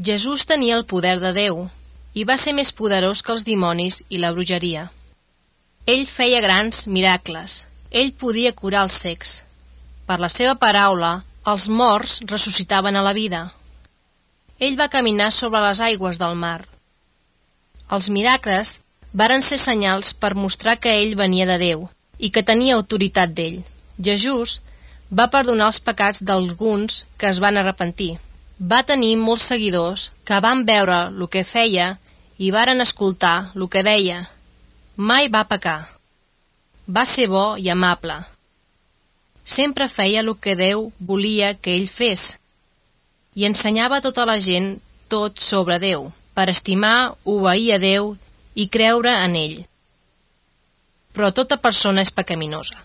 Jesús tenia el poder de Déu i va ser més poderós que els dimonis i la bruixeria. Ell feia grans miracles. Ell podia curar els cecs. Per la seva paraula, els morts ressuscitaven a la vida. Ell va caminar sobre les aigües del mar. Els miracles varen ser senyals per mostrar que ell venia de Déu i que tenia autoritat d'ell. Jesús va perdonar els pecats d'alguns que es van arrepentir. Va tenir molts seguidors que van veure el que feia i varen escoltar el que deia. Mai va pecar. Va ser bo i amable. Sempre feia el que Déu volia que ell fes i ensenyava a tota la gent tot sobre Déu, per estimar, obeir a Déu i creure en ell. Però tota persona és pecaminosa.